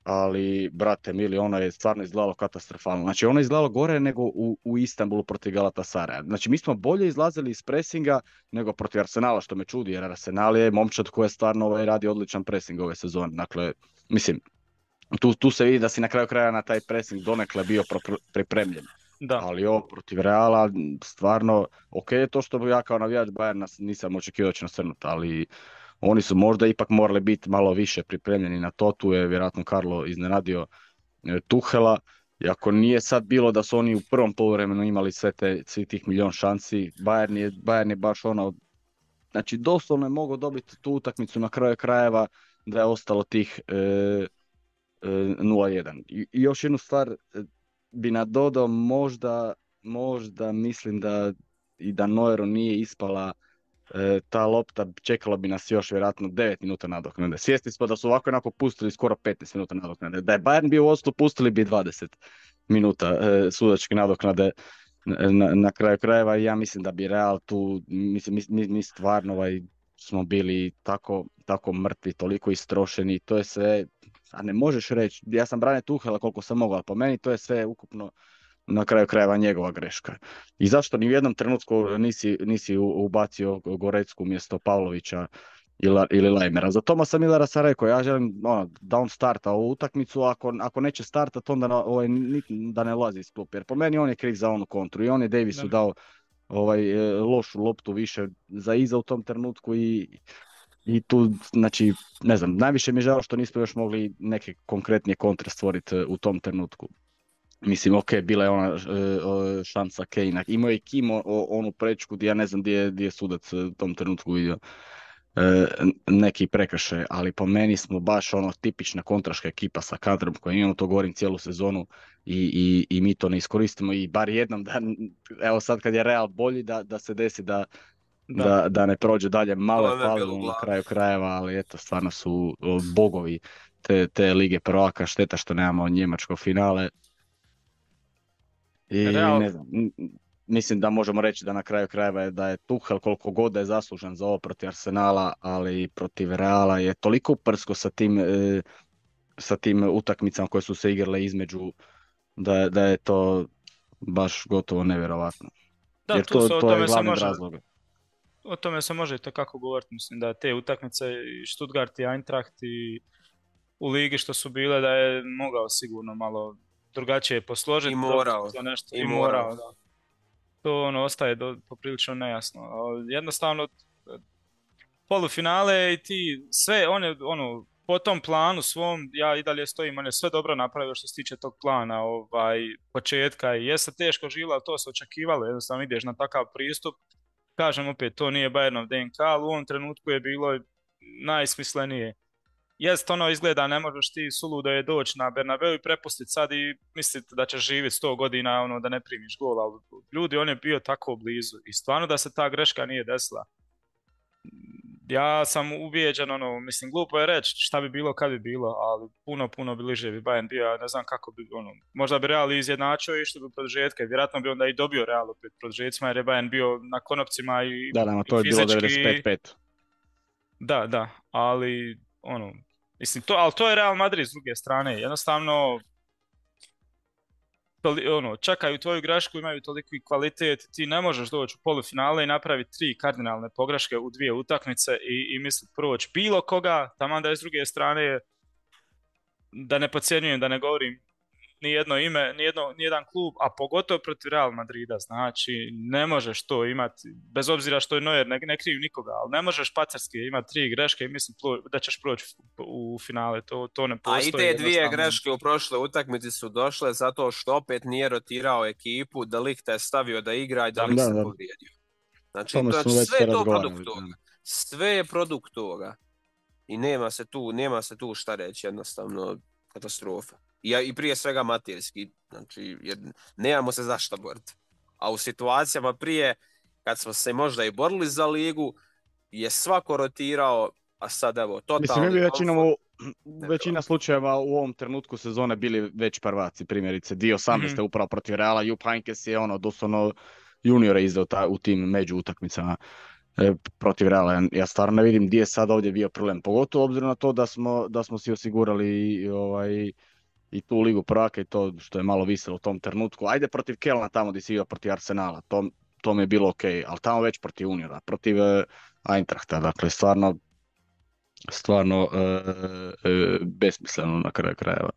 ali, brate mili, ono je stvarno izgledalo katastrofalno. Znači, ono je izgledalo gore nego u Istanbulu protiv Galatasaraja. Znači, mi smo bolje izlazili iz presinga nego protiv Arsenala, što me čudi, jer Arsenal je momčad koji je stvarno radi odličan presing ove sezone. Dakle, mislim, tu se vidi da si na kraju kraja na taj pressing donekle bio pripremljen. Da. Ali ovo protiv Reala, stvarno, ok je to što ja kao navijač Bayerna nisam očekivao da će nasrnuti, ali oni su možda ipak morali biti malo više pripremljeni na to. Tu je vjerojatno Carlo iznenadio Tuchela. I ako nije sad bilo da su oni u prvom poluvremenu imali svi tih milion šansi, Bayern je baš znači doslovno je mogao dobiti tu utakmicu na kraju krajeva da je ostalo tih 0-1. I još jednu stvar bi nadodao, možda mislim da Neueru nije ispala ta lopta, čekalo bi nas još vjerojatno 9 minuta nadoknade. Svjesni smo da su ovako onako pustili skoro 15 minuta nadoknade. Da je Bayern bio u vodstvu, pustili bi 20 minuta sudačke nadoknade na kraju krajeva. Ja mislim da bi Real tu, mi stvarno smo bili tako mrtvi, toliko istrošeni. To je sve, a ne možeš reći, ja sam branio Tuchela koliko sam mogao, ali po meni to je sve ukupno na kraju krajeva njegova greška. I zašto ni u jednom trenutku nisi ubacio Gorecku umjesto Pavlovića ili Lajmera? Za Tomasa Millera sam rekao, ja želim da on starta ovu utakmicu, ako neće startati onda da ne lazi iz klupe. Jer po meni on je kriv za onu kontru i on je Davisu dao lošu loptu više za iza u tom trenutku i tu, znači, ne znam, najviše mi je žao što nismo još mogli neke konkretnije kontre stvoriti u tom trenutku. Mislim, ok, bila je ona šansa Kane. Imao je Kim onu prečku gdje ja ne znam gdje je sudac u tom trenutku vidio neki prekršaj, ali po meni smo baš tipična kontraška ekipa sa kadrom koja imamo, to govorim cijelu sezonu i mi to ne iskoristimo i bar jednom, evo sad kad je Real bolji da se desi da ne prođe dalje, malo je falilo na kraju krajeva, ali eto, stvarno su bogovi te lige prvaka, šteta što nemamo njemačko finale. I ne znam, mislim da možemo reći da na kraju krajeva je da je Tuchel koliko god da je zaslužan za ovo protiv Arsenala, ali protiv Reala je toliko prsko sa tim utakmicama koje su se igrale između da je to baš gotovo nevjerovatno. Da, jer to je glavni razlog. O tome se može tako govoriti, mislim da te utakmice i Stuttgart i Eintracht i u ligi što su bile da je mogao sigurno malo drugačije posložiti. I morao. Da. To ostaje poprilično nejasno. Jednostavno polufinale i ti sve, po tom planu svom, ja i dalje stojim, on je sve dobro napravio što se tiče tog plana, početka i jeste teško živjelo, ali to se očekivalo, jednostavno ideš na takav pristup. Kažem opet, to nije Bayernov DNK, ali u ovom trenutku je bilo najsmislenije. Jest, izgleda, ne možeš ti suludo je doći na Bernabeu i prepustiti sad i misliti da ćeš živjeti 100 godina, da ne primiš gol, ali ljudi, on je bio tako blizu i stvarno da se ta greška nije desila. Ja sam ubijeđen, mislim, glupo je reći šta bi bilo kad bi bilo, ali puno bliže bi Bayern bio, ne znam kako bi, možda bi Real izjednačio i što bi produžetke, vjerojatno bi onda i dobio Real opet produžetcima jer je Bayern bio na konopcima i to je fizički. bilo 95-5. Da, ali, mislim, ali to je Real Madrid s druge strane, jednostavno, čekaju tvoju grešku, imaju toliki kvalitet, ti ne možeš doći u polufinale i napraviti 3 kardinalne pogreške u 2 utakmice i misliti proći bilo koga, taman da je s druge strane, da ne podcjenjujem, da ne govorim ni jedno ime, ni jedan klub, a pogotovo protiv Real Madrida, znači ne možeš to imati, bez obzira što je Neuer ne kriv nikoga, ali ne možeš pacarski imati 3 greške i mislim da ćeš proći u finale, to ne postoji. A i te 2 greške u prošle utakmici su došle zato što opet nije rotirao ekipu, da Ligt je stavio da igra i da Ligt se povrijedio. Znači, sve je to produkt toga. Sve je produkt toga. I nema se tu šta reći, jednostavno katastrofa. I prije svega amaterski, znači nemamo se zašto boriti. A u situacijama prije, kad smo se možda i borili za ligu, je svako rotirao, a sad evo, totalni... Mislim, većina slučajeva u ovom trenutku sezone bili već prvaci, primjerice. 2018. Upravo protiv Reala, Jupp Heynckes je doslovno juniore izdao u tim među utakmicama protiv Reala. Ja stvarno ne vidim gdje je sad ovdje bio problem. Pogotovo obzirom na to da smo si osigurali i tu ligu prvaka i to što je malo viselo u tom trenutku. Ajde protiv Kelna tamo gdje si igrao protiv Arsenala, to mi je bilo ok, ali tamo već protiv Uniona, protiv Eintrachta, dakle stvarno besmisleno na kraju krajeva.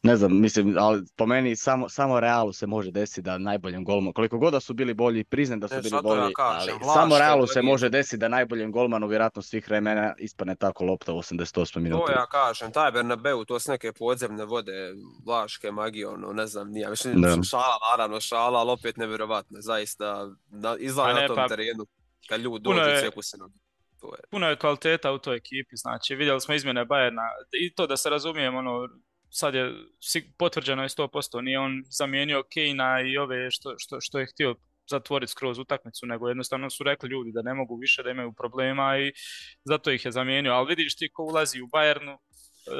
Ne znam, mislim, ali po meni samo Realu se može desiti da najboljem golmanu, koliko god da su bili bolji, priznam da su bili bolji, ali samo Realu se može desiti da najboljem golmanu vjerojatno svih vremena ispadne tako lopta u 88 minuta. To ja kažem, taj Bernabeu, to su neke podzemne vode, Vlaške magije, ne znam, nije, mislim, šala, ali opet nevjerovatno, zaista, izgleda na tom terenu, kad ljudi dođu cijeku se nogi. Puno je kvaliteta u toj ekipi, znači vidjeli smo izmjene Bayerna i to da se razumijemo, sad je potvrđeno je 100%, nije on zamijenio Kane-a i ove što je htio zatvoriti skroz utakmicu, nego jednostavno su rekli ljudi da ne mogu više, da imaju problema i zato ih je zamijenio, ali vidiš ti ko ulazi u Bayernu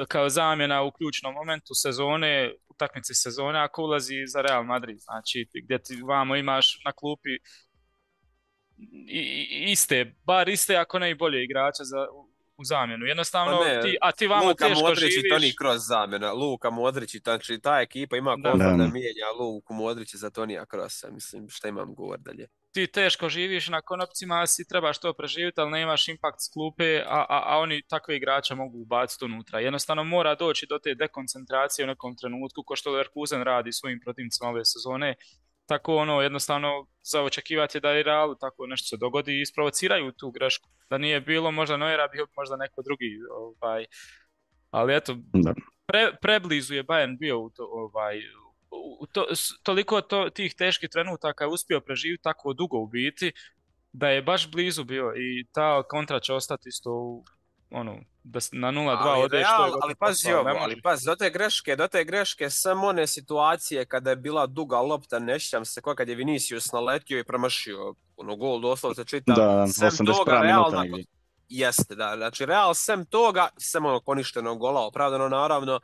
kao zamjena u ključnom momentu sezone, utakmici sezone, a ko ulazi za Real Madrid, znači gdje ti vamo imaš na klupi bar iste, ako ne i bolje igrača u zamjenu. Jednostavno, ti vamo Luka teško Modrić živiš. Luka Modrić i Toni kroz zamjena. Luka Modrić, znači ta ekipa ima kontra da mijenja Luku Modrić za Tonija Krosa. Mislim, šta imam govor dalje. Ti teško živiš na konopcima, si trebaš to preživjeti, ali nemaš impakt s klupe, a oni takve igrače mogu ubaciti unutra. Jednostavno mora doći do te dekoncentracije u nekom trenutku, ko što Leverkusen radi svojim protivnicima ove sezone. Tako jednostavno za očekivati je da i Realu tako nešto se dogodi i isprovociraju tu grešku. Da nije bilo možda Neuera, bio možda neko drugi. Ali eto, preblizu je Bayern bio toliko tih teških trenutaka je uspio preživjeti tako dugo u biti, da je baš blizu bio i ta kontra će ostati isto da na 0-2 ode što je ali pazi ovo, do te greške samo one situacije kada je bila duga lopta, ne sjećam se kad je Vinicius naletio i promašio gol, doslovce čitav. Da, 80 minuta negdje. Jeste, da, znači Real sem toga, sem poništenog gola, opravdano naravno,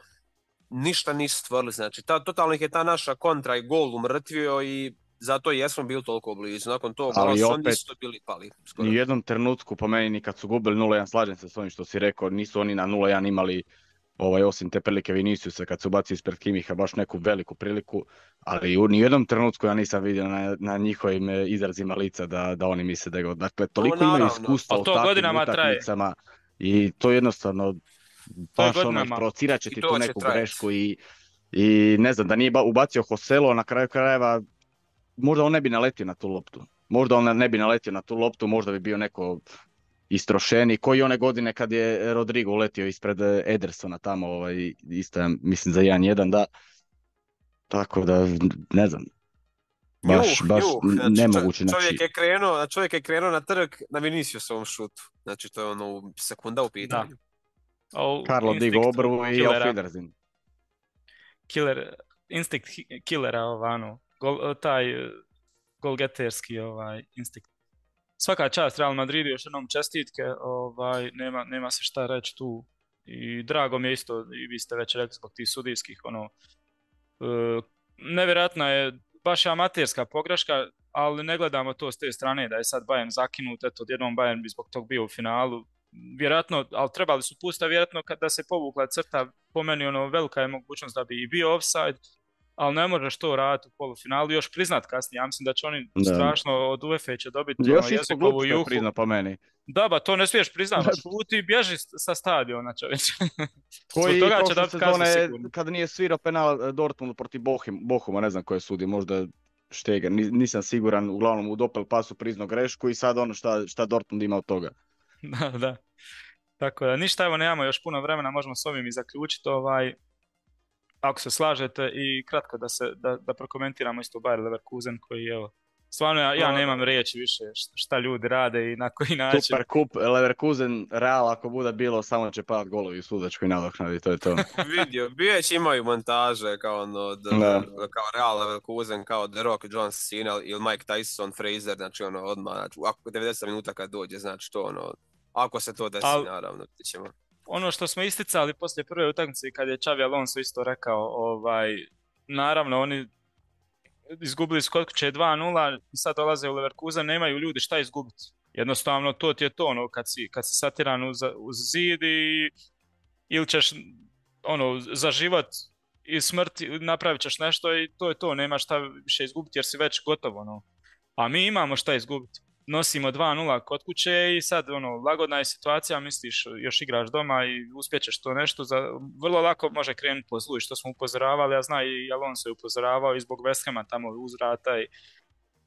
ništa nisu stvorili, znači totalno ih je ta naša kontra i gol umrtvio i zato jesmo bili toliko blizu. Nakon toga nisu bili pali. Skoro. Ni u jednom trenutku po meni ni kad su gubili 0-1, slažem se s ovim što si rekao, nisu oni na 0-1 imali osim te prilike Viniciusa kad su bacili ispred Kimiha baš neku veliku priliku, ali ni u jednom trenutku ja nisam vidio na njihovim izrazima lica da oni misle da je. Dakle, toliko imaju iskustva u takvim utakmicama i to jednostavno baš provocirat će ti tu neku grešku i ne znam, da nije ubacio Joselo na kraju krajeva, možda on ne bi naletio na tu loptu. Možda bi bio neko istrošeni, koji one godine kad je Rodrigo uletio ispred Edersona tamo, isto mislim za 1-1, da. Tako da, ne znam, baš Znači, nemoguće. čovjek je krenuo na trg na Viniciusovom šutu. Znači, to je ono sekunda u pitanju. Karlo digo obrvu i auf Wiedersehen. Instinkt killera, taj golgeterski instinkt. Svaka čast Real Madridu, još jednom čestitke, nema se šta reći tu. I drago mi je isto, i vi ste već rekli zbog tih sudijskih, nevjerojatna je baš amaterska pogreška, ali ne gledamo to s te strane da je sad Bayern zakinut, eto odjednom Bayern bi zbog tog bio u finalu. Vjerojatno, ali trebali su pustiti, vjerojatno kada se povukla crta, po meni velika je mogućnost da bi i bio offside, ali ne možeš to raditi u polufinalu, još priznat kasnije. Ja mislim da će oni strašno od UEFA će dobiti jezikovu juhu. Prizna po meni. Da, ba, to ne smiješ priznati, šuti i bježi sa stadiona, čovječe. Koji prošle sezone, kada nije svirao penal Dortmundu protiv Bochuma, ne znam ko je sudi, možda Šteger, nisam siguran, uglavnom u dopel pasu priznao grešku i sad šta Dortmund ima od toga. Da. Tako da, ništa, evo, nemamo još puno vremena, možemo s ovim i zaključiti, ako se slažete, i kratko da prokomentiramo isto Bayer Leverkusen koji, evo, stvarno ja nemam riječi više šta ljudi rade i na koji način. Super kup, Leverkusen, Real ako bude bilo, samo će padat golovi u sudačkoj nadoknadi, to je to. Vidio, već imaju montaže kao kao Real Leverkusen, kao The Rock, John Cena ili Mike Tyson, Fraser, znači odmah, ako 90 minuta kad dođe, znači to ako se to desi, naravno, ti ćemo. Ono što smo isticali poslije prve utakmice kad je Xabi Alonso isto rekao, naravno oni izgubili skod kuće 2-0 i sad dolaze u Leverkusen, nemaju ljudi šta izgubiti. Jednostavno to ti je to, kad si satiran uz zid ili ćeš za život i smrt napravit ćeš nešto i to je to, nemaš šta više izgubiti jer si već gotovo. A mi imamo šta izgubiti. Nosimo 2-0 kod kuće i sad lagodna je situacija, misliš još igraš doma i uspjećeš to nešto, vrlo lako može krenuti po zlu i što smo upozoravali, ja znam i Alonso je upozoravao i zbog West Hama tamo uzvrata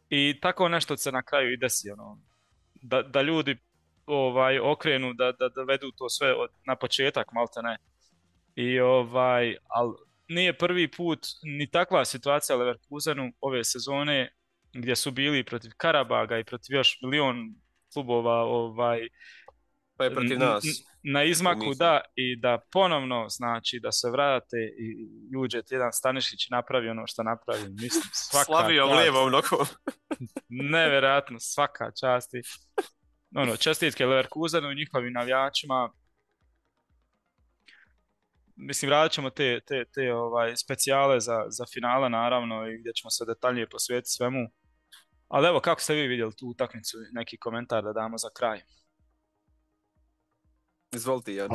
i tako nešto se na kraju i desi, da ljudi okrenu, da vedu to sve na početak, malte ne. Ali nije prvi put ni takva situacija u Leverkusenu ove sezone, gdje su bili protiv Karabaga i protiv još milion klubova pa je protiv nas na izmaku, da, i da ponovno znači da se vrate i uđe jedan Stanišić napravi ono što napravi, mislim, svaka slavio lijevom nogom. Nevjerojatno, svaka čast. Čestitke Leverkusenu i njihovim navijačima. Mislim, radit ćemo te specijale za finale, naravno, i gdje ćemo se detaljnije posvetiti svemu. Ali evo, kako ste vi vidjeli tu utakmicu, neki komentar da damo za kraj? Izvolite, Jan.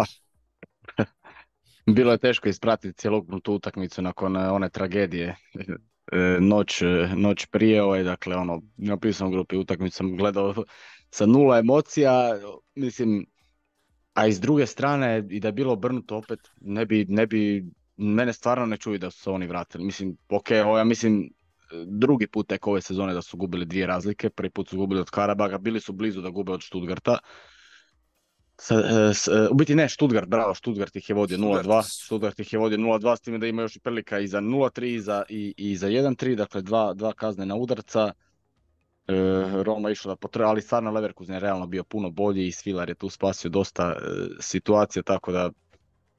Bilo je teško ispratiti cjelokupnu tu utakmicu nakon one tragedije. Noć prije, dakle, na pisnom grupi utakmicu sam gledao sa 0 emocija, mislim, a iz druge strane, i da je bilo obrnuto opet, ne bi, mene stvarno ne čuju da su se oni vratili. Mislim, ja mislim, drugi put tek ove sezone da su gubili 2 razlike, prvi put su gubili od Karabaga, bili su blizu da gube od Stuttgarta. U biti ne, Stuttgart ih je vodio 0-2, Stuttgart ih je vodio 0-2, s time da ima još i prilika i za 0-3 i za 1-3, dakle dva kaznena udarca. Roma išla da potreba, ali stvarno Leverkusen je realno bio puno bolji i Svilar je tu spasio dosta situacija, tako da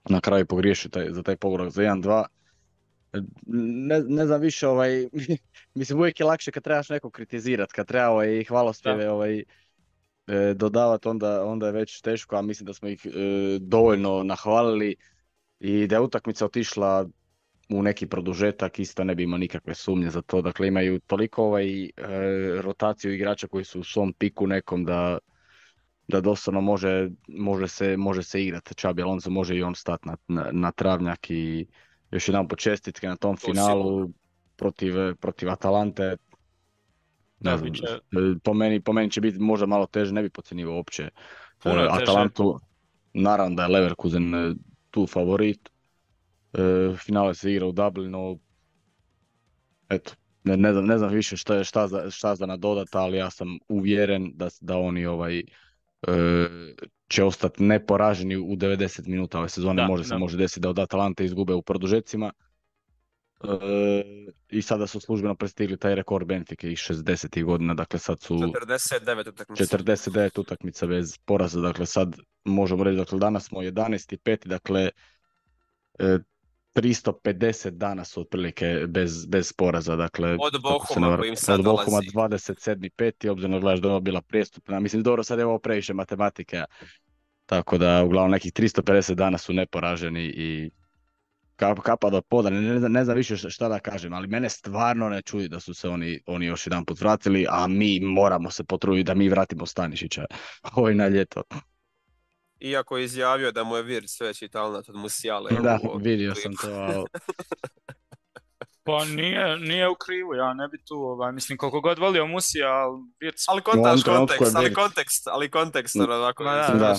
na kraju pogriješio za taj pogodak za 1-2. Ne znam više, mislim, uvijek je lakše kad trebaš nekog kritizirati, kad treba i hvalospjeve dodavati, onda je već teško, a mislim da smo ih dovoljno nahvalili i da je utakmica otišla u neki produžetak, isto ne bi imao nikakve sumnje za to. Dakle, imaju toliko rotaciju igrača koji su u svom piku nekom da doslovno može se igrati. Xabi Alonso može i on stati na travnjak i još jedan počestitke na tom finalu protiv Atalante. Ne znam, po meni će biti možda malo teže, ne bi podcjenjivao uopće Atalantu. Naravno da je Leverkusen tu favorit. Finale se igra u Dublinu. Eto, ne znam više šta za nadodat, ali ja sam uvjeren da oni će ostati neporaženi u 90 minuta ove sezone. Može desiti da od Atalante izgube u produžecima. I sada su službeno prestigli taj rekord Benfike iz 60. godina, dakle sad su 49 utakmica bez poraza, dakle sad možemo reći, dakle danas smo 11.5. dakle 350 dana su otprilike bez poraza, dakle od Bohuma kojim sad dolazi. Od Bohuma 27.5. obzirom da gledaš da je ovo bila prijestupna, mislim dobro sad je ovo previše matematike, tako da uglavnom nekih 350 dana su neporaženi i kapa do poda, ne znam više šta da kažem, ali mene stvarno ne čudi da su se oni još jedan put vratili, a mi moramo se potruditi da mi vratimo Stanišića na ljeto. Iako je izjavio da mu je Virts veći talent od Musiale. Da, vidio sam to. Pa nije u krivu, ja ne bi tu, mislim koliko god volio Musija, ali Virts... Ali kontekst, onako. Da.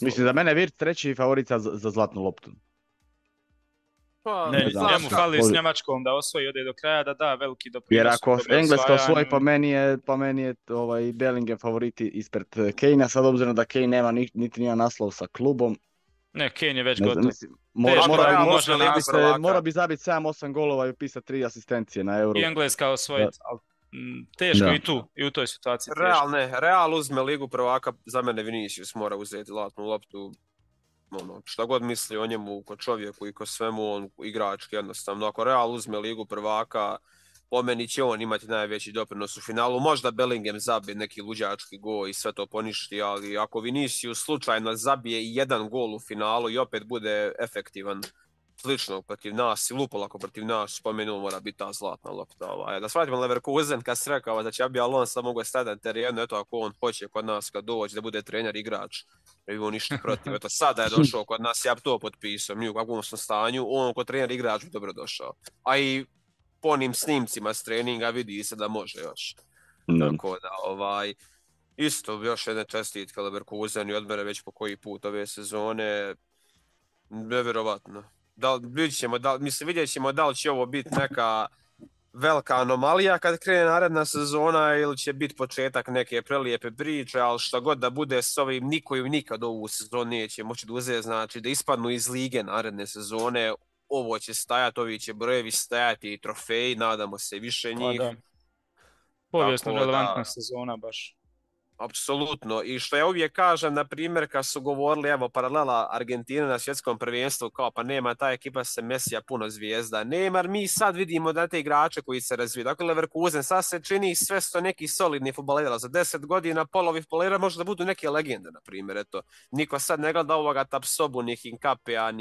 Mislim, za mene je Virts treći favorica za zlatnu loptu. Pa, njemu fali s Njemačkom da osvoji, ode do kraja, da veliki doprinos. Jer ako Engleska osvoji, po meni je Bellingham favoriti ispred Kane-a, sad obzirom da Kane nema niti nijedan naslov sa klubom. Ne, Kane je već gotov. Mora bi zabiti 7-8 golova i upisati 3 asistencije na Euro. I Engleska osvojiti, ali teško i u toj situaciji. Real uzme ligu prvaka, za mene Vinicius mora uzeti zlatnu loptu. Šta god misli o njemu, ko čovjeku i ko svemu, on igrački jednostavno. Ako Real uzme ligu prvaka, po meni će on imati najveći doprinos u finalu. Možda Bellingham zabije neki luđački gol i sve to poništi, ali ako Vinicius slučajno zabije i jedan gol u finalu i opet bude efektivan slično protiv nas i lupolako protiv nas, spomenuo mora biti ta zlatna lopta. Da shvatimo Leverkusen, kad se rekao da će Abi Alonso mogu stati na terenu, eto ako on hoće kod nas kad dođe da bude trener igrač, ne bi on ništa protiv. Eto sada je došao kod nas, ja bi to potpisao, mi u kakvom smo stanju, on kod trener igrač bi dobro došao. A i po onim snimcima s treninga vidi se da može još. Tako da, isto još jedne čestitke Leverkusen i odmere već po koji put ove sezone, nevjerovatno. Vidjet ćemo da li će ovo biti neka velika anomalija kad krene naredna sezona ili će biti početak neke prelijepe priče, ali šta god da bude s ovim, niko im nikad ovu sezonu neće moći da uzeti, znači da ispadnu iz lige naredne sezone, ovo će stajati, ovi će brojevi stajati i trofeji, nadamo se više njih. Povijesno relevantna sezona baš. Apsolutno. I što ja uvijek kažem, na primjer, kad su govorili, evo, paralela Argentina na svjetskom prvenstvu, kao pa nema ta ekipa se Mesija puno zvijezda. Nema, mi sad vidimo da te igrače koji se razviju. Dakle, Leverkusen sad se čini sve sto neki solidni fudbalera. Za 10 godina polovi fudbalera može da budu neke legende, na primjer. Eto, niko sad ne gleda ovoga Tapsobu, ni Hinkapea,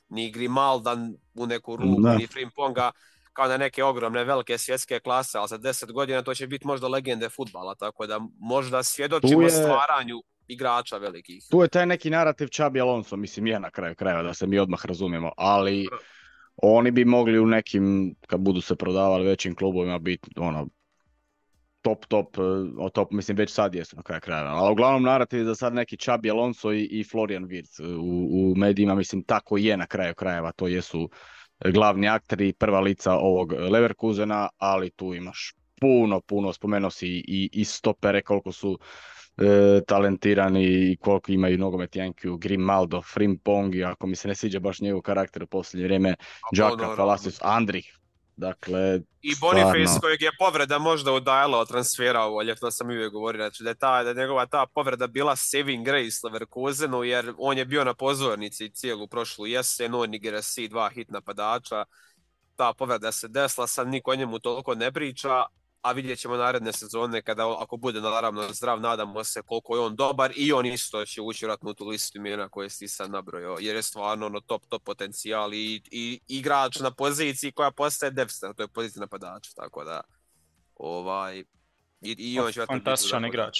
ni Grimalda u neku ruku, ni Frimponga, kao na neke ogromne velike svjetske klase, ali za 10 godina to će biti možda legende fudbala, tako da možda svjedočimo stvaranju igrača velikih. Tu je taj neki narativ Xabi Alonso, mislim je na kraju krajeva, da se mi odmah razumijemo, ali oni bi mogli u nekim, kad budu se prodavali većim klubovima, biti top, mislim već sad jesu na kraju krajeva, ali uglavnom narativ je za sad neki Xabi Alonso i Florian Wirtz u medijima, mislim tako je na kraju krajeva, to jesu glavni akteri, prva lica ovog Leverkusena, ali tu imaš puno, spomenuo si i stopere koliko su talentirani i koliko imaju nogomet Jankiju, Grimaldo, Frimpong, i ako mi se ne sviđa baš njegov karakter u posljednje vrijeme, Džaka, Palacios, Andrih. Dakle, i Boniface kojeg je povreda možda udajala od transfera ovo ljeto, to sam uvijek govorio, znači da je njegova ta povreda bila saving grace Leverkusenu, jer on je bio na pozornici cijelu prošlu jesen, on i Gerasi, 2 hit napadača, ta povreda se desila, sad niko o njemu toliko ne priča, a vidjet ćemo naredne sezone kada, ako bude naravno zdrav, nadamo se koliko je on dobar i on isto će ući vratno u tu listu imena koje si sad nabrojao, jer je stvarno top potencijal i igrač na poziciji koja postaje deficitarna, to je pozicija napadača, tako da i on će fantastičan igrač.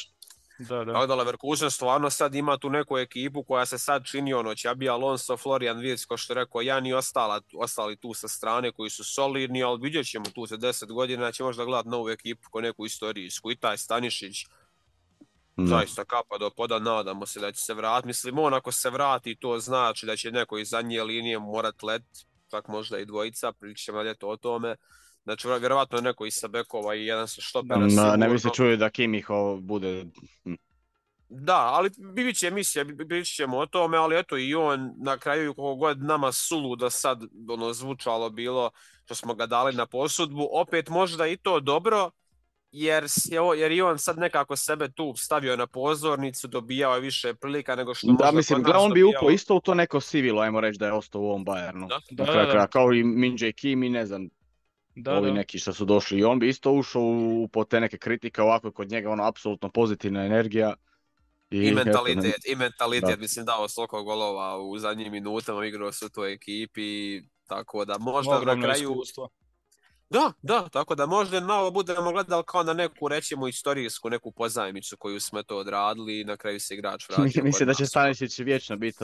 Tako da Leverkusen stvarno sad ima tu neku ekipu koja se sad čini Xabi Alonso, Florian Wirtz, ko što rekao Jan i ostali tu sa strane koji su solidni, ali vidjet ćemo tu za 10 godina će možda gledati novu ekipu ko neku istorijsku i taj Stanišić zaista kapa do poda, nadamo se da će se vratiti. Mislim, on ako se vrati to znači da će neko iz zadnje linije morat let, čak možda i dvojica, pričamo ljeto o tome. Znači, vjerovatno neko iz Sabekova i jedan sa štopera. Ne bi se čuje da Kimih bude... Da, ali bit će emisija, bit ćemo o tome, ali eto i on na kraju koliko god nama suludo sad zvučalo bilo što smo ga dali na posudbu, opet možda i to dobro, jer i on sad nekako sebe tu stavio na pozornicu, dobijao je više prilika nego što možda mislim, kod nas on bi dobijao. upao isto u to neko sivilo, ajmo reći da je ostao u ovom Bayernu. Na kraju kraja, kao i Min-Jae Kim i ne znam, ovi neki što su došli. I on bi isto ušao po te neke kritike, ovako kod njega apsolutno pozitivna energija. I mentalitet, mislim dao toliko golova u zadnjim minutama, igrao su u toj ekipi, tako da možda na kraju... Iskustvo. Da, tako da možda malo budemo gledali kao na neku, rećemo, istorijsku, neku pozajmicu koju smo to odradili i na kraju se igrač vratio. Mislim da će Stanišić vječno biti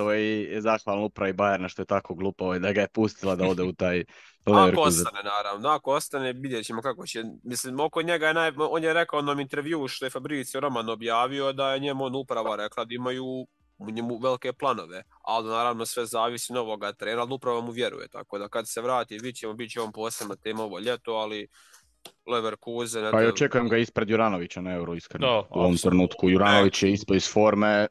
zahvalan upravi Bayerna što je tako glupo da ga je pustila da ode u taj Ako ostane, naravno. Ako ostane, vidjet ćemo kako će. Mislim, oko njega on je rekao u onom intervjuu što je Fabrizio Roman objavio da je njemu uprava rekla da imaju u njemu velike planove, ali naravno sve zavisi od novoga trenera, ali upravo mu vjeruje, tako da kad se vrati bit će on posebna tema ovo ljeto, ali Leverkusen... Pa i očekujem ga ispred Juranovića na Euro, iskreno. U ovom trenutku Juranović je ispod iz forme.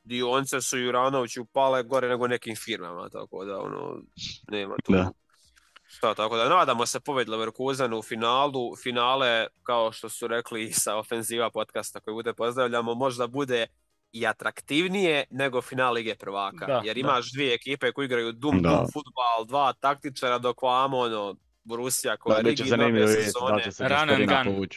Dionice su Juranoviću pale gore nego nekim firmama, tako da nema tu... Da. Šta, tako da nadamo se pobjedi Leverkusenu u finalu. Finale, kao što su rekli sa Ofenziva podcasta koji bude pozdravljamo, možda bude i atraktivnije nego final Lige prvaka. Jer imaš dvije ekipe koji igraju dum fudbal, dva taktičara, dok vamo Borussia koja je rigidna bez sezone. Run and gun.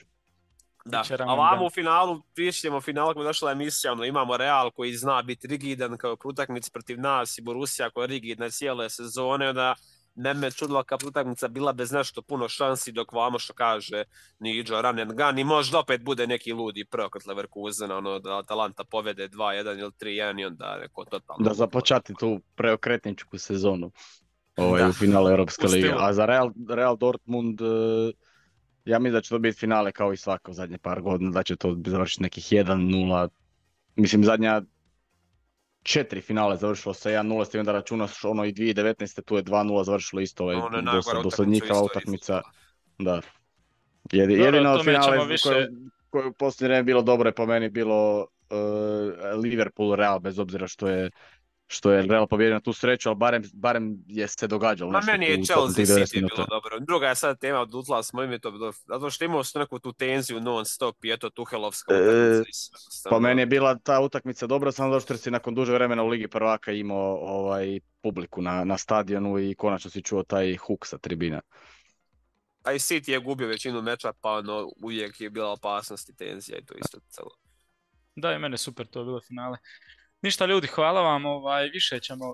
Da, a vamo u finalu, pišljemo final kako je došla emisija, imamo Real koji zna biti rigidan kao utakmica protiv nas i Borussia koja je rigidna cijele sezone, onda me čudilo kao utakmica bila bez nešto puno šansi, dok vamo što kaže Niđo run and gun i možda opet bude neki ludi prokot Leverkusena, da Atalanta povede 2-1 ili 3-1 i onda neko totalno... Da započati tu preokretničku sezonu u finalu Europske lige. A za Real Dortmund, ja mislim da će to biti finale kao i svako zadnje par godina, da će to završiti nekih 1-0. Mislim, zadnja 4 finale završilo sa 1-0, s tim da računaš i 2019. tu je 2-0 završilo isto, dosadnjikava utakmica. Da. Jedino od finale koje u posljednje vreme bilo dobro je po meni bilo Liverpool Real, bez obzira što je Real pobjedio na tu sreću, ali barem je se događalo nešto. Meni je Chelsea City bilo dobro. Druga je sad tema, odutla smo ime to bilo, zato što imao su neku tu tenziju non stop i eto Tuhelovska utakmica. Pa meni je bila ta utakmica dobra, samo zato što si nakon duže vremena u Ligi prvaka imao publiku na stadionu i konačno si čuo taj huk sa tribina. A i City je gubio većinu meča, pa uvijek je bila opasnost i tenzija i to isto celo. Da, i mene super to je bilo finale. Ništa ljudi, hvala vam,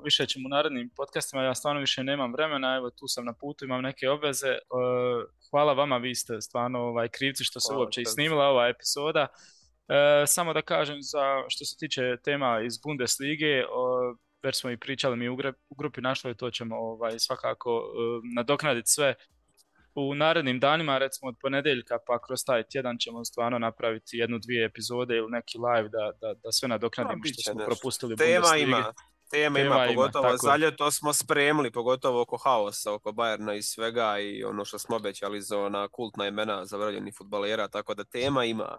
više ćemo u narednim podcastima, ja stvarno više nemam vremena, evo tu sam na putu, imam neke obveze, hvala vama, vi ste stvarno krivci što se uopće i snimila ova epizoda. Samo da kažem što se tiče tema iz Bundeslige, već smo i pričali mi u grupi našli, to ćemo svakako nadoknaditi sve u narednim danima, recimo od ponedjeljka pa kroz taj tjedan ćemo stvarno napraviti 1-2 epizode ili neki live da sve nadoknadimo što smo propustili u Bundeslige. Tema ima, pogotovo za ljeto smo spremili, pogotovo oko haosa, oko Bayerna i svega i ono što smo obećali za ona kultna imena zavrljenih fudbalera, tako da tema ima.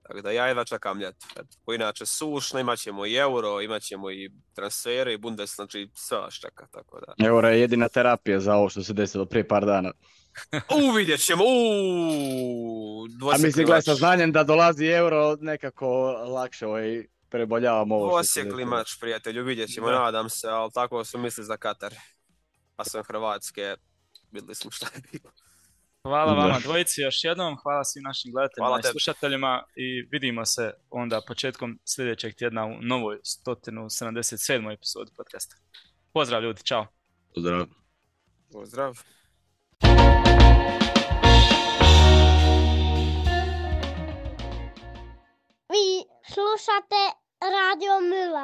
Tako da ja jedva čekam ljeto. Ko inače sušno, imat ćemo i Euro, imat ćemo i transfere i Bundes, znači sve vas čeka, tako da. Euro je jedina terapija za ovo što se desilo prije par dana. Vidjet ćemo, A mislim, gledaj, sa znanjem da dolazi Euro, nekako lakše preboljavamo ovo što se desilo. Dvosjekli mač, prijatelju, vidjet ćemo, nadam se, ali tako su misli za Katar. Pa sam Hrvatske, vidjeli smo šta je bilo. Hvala vama dvojici još jednom, hvala svim našim gledateljima i slušateljima i vidimo se onda početkom sljedećeg tjedna u novoj 177. epizodi podcasta. Pozdrav ljudi, čao. Pozdrav. Vi slušate Radio Mila.